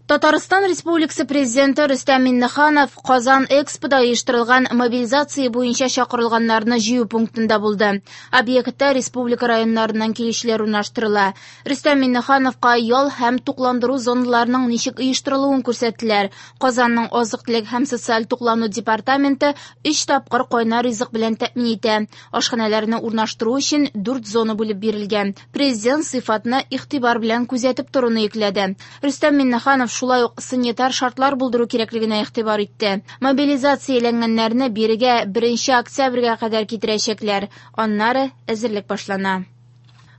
Татарстан Республикасы Президенты Рөстәм Миңнеханов Казан Экспода оештырылган мобилизация буенча чакырылганнарны җыю пунктында булды. Объектта республика районнарыннан килүчеләр урнаштырыла. Рөстәм Миңнехановка ял һәм тукландыру зоналарының ничек оештырылуын күрсәттеләр. Казанның азык-төлек һәм социаль туклану департаменты өч тапкыр кайнар ризык белән тәэмин итә. Ашханәләрне урнаштыру өчен дүрт зона бүлеп бирелгән. Президент сыйфатны игътибар белән күзәтеп торуны йөкләде. Рөстәм Миңнеханов шулай ук санитар шартлар булдыру кирәклегенә игътибар итте. Мобилизацияләнгәннәрне бирегә 1 октябрьгә кадәр китерәчәкләр. Аннары әзерлек башлана.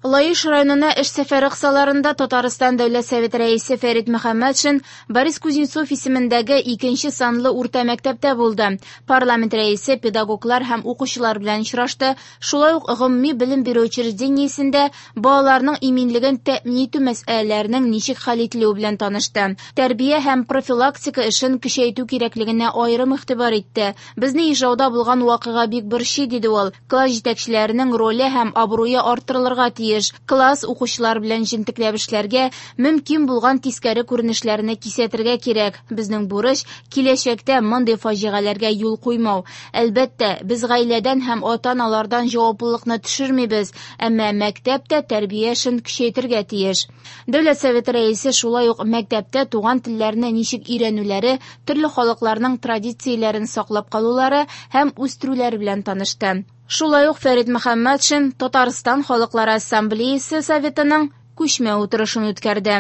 Лаеш районына эш сәфәре кысаларында Татарстан Дәүләт Советы рәисе Фәрит Мөхәммәтшин Борис Кузнецов исемендәге икенче санлы урта мәктәптә булды. Парламент рәисе педагоглар һәм укучылар белән очрашты. Шулай ук гомуми белем бирү учреждениесендә балаларның иминлеген тәэмин итү мәсьәләләренең ничек хәл ителүе белән танышты. Тәрбия һәм профилактика эшен көчәйтү кирәклегенә аерым игътибар итте. Безне Ижауда булган вакыйга бик борчый, диде ул. Класс җитәкчеләренең роле һәм абруе арттырылырга тиеш. Класс укучылар белән җентекләп эшләргә, мөмкин булган тискәре күренешләрне кисәтергә кирәк. Безнең бурыч киләчәктә мондый фаҗигаләргә юл куймау. Әлбәттә, без гаиләдән һәм ата-аналардан җаваплылыкны төшермибез, әмма мәктәп тә тәрбия эшен көчәйтергә тиеш. Дәүләт Советы рәисе шулай ук мәктәптә туган телләрне ничек өйрәнүләре, төрле халыкларның традицияләрен саклап калулары һәм үстерүләре белән танышты. Шулай ук Фәрит Мөхәммәтшин Татарстан Халыклары Ассамблеясы Советының күчмә утырышын үткәрде.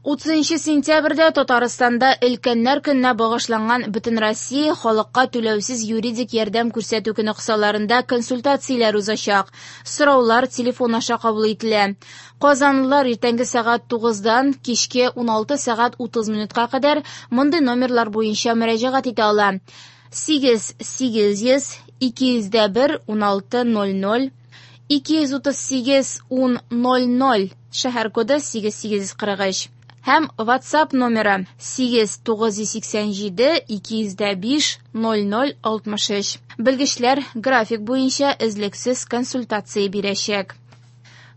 30 сентябрьдә Татарстанда Өлкәннәр көненә багышланган Бөтенроссия халыкка түләүсез юридик ярдәм күрсәтү көне кысаларында консультацияләр узачак. Сораулар телефон аша кабул ителә. Казанлылар иртәнге сәгать 9-дан кичке 16 сәгать 30 минутка кадәр мондый номерлар буенча мөрәҗәгать итә ала. 8 800 201 16 00 238 10 00 шәһәр коды 8843 һәм WhatsApp номеры 8 987 205 00 63. Белгечләр график буенча эзлексез консультация бирәчәк.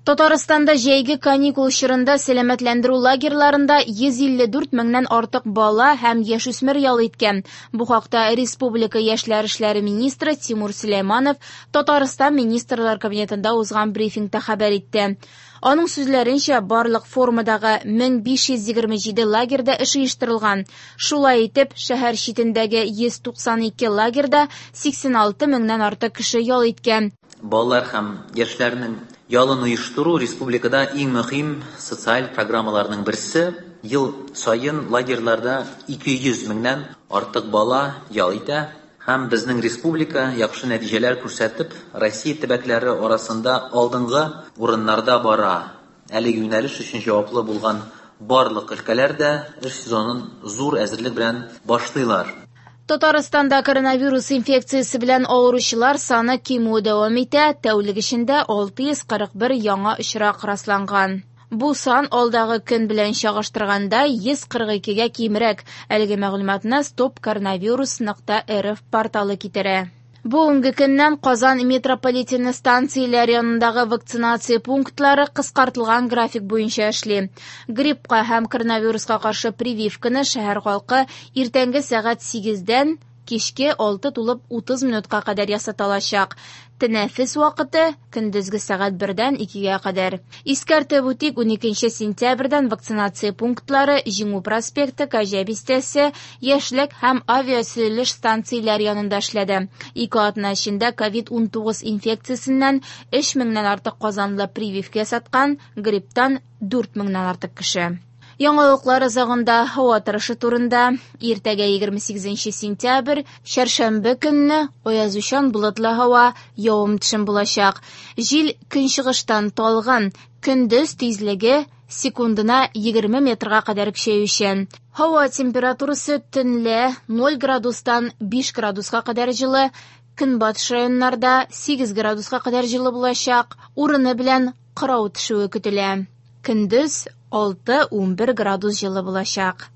Татарстанда җәйге каникул чорында сәламәтләндерү лагерьларында 154 меңнән артык бала һәм яшүсмер ял иткән. Бу хакта Республика яшьләр эшләре министры Тимур Сөләйманов Татарстан Министрлар Кабинетында узган брифингта хәбәр итте. Аның сүзләренчә, барлык формадагы 1527 лагерьда эш оештырылган. Шулай итеп, шәһәр читендәге 192 лагерьда 86 меңнән артык кеше ял иткән. Балалар һәм яшьләрнең ялын оештыру республикада иң мөһим социаль программаларның берсе. Ел саен лагерьларда 200 меңнән артык бала ял итә. Һәм безнең республика яхшы нәтиҗәләр күрсәтеп, Россия төбәкләре арасында алдынгы урыннарда бара. Әлеге юнәлеш өчен җаваплы булган барлык өлкәләр дә эш сезонын зур әзерлек белән башлыйлар. Татарстанда коронавирус инфекциясе белән авыручылар саны кимүе дәвам итә. Тәүлек эчендә 641 яңа очрак расланган. Бу сан алдагы көн белән чагыштырганда 142-гә кимрәк. Әлеге мәгълүматны stopcoronavirus.rf порталы китерә. Бүгенге көннән Казан метрополитены станцияләре янындагы вакцинация пунктлары кыскартылган график буенча эшли. Гриппка һәм коронавируска каршы прививканы шәһәр халкы иртәнге сәгать 8-дән кичке 6:30 минутка кадәр ясата алачак. Тәнәфес вакыты көндезге сәгать 1-дән 2-гә кадәр. Искәртеп үтик, 12 сентябрьдән вакцинация пунктлары Җиңү проспекты, Кәҗә бистәсе, Яшьлек һәм авиасөзелеш станцияләре янында эшләде. Ике атна эчендә ковид-19 инфекциясеннән 3 меңнән артык казанлы прививка ясаткан, грипптан 4 меңнән артык кеше. Яңалыклар азагында һава торышы турында. Иртәгә 28 сентябрь, чәршәмбе көнне аязучан болытлы һава, явым-төшем булачак. Җил көнчыгыштан талгын, көндез тизлеге секундына 20 метрга кадәр көчәючән. Һава температурасы төнлә 0 градустан 5 градуска кадәр җылы, көнбатыш районнарда 8 градуска кадәр җылы булачак, урыны белән кырау төшүе көтелә. Көндез 6-11 градус җылы булачак.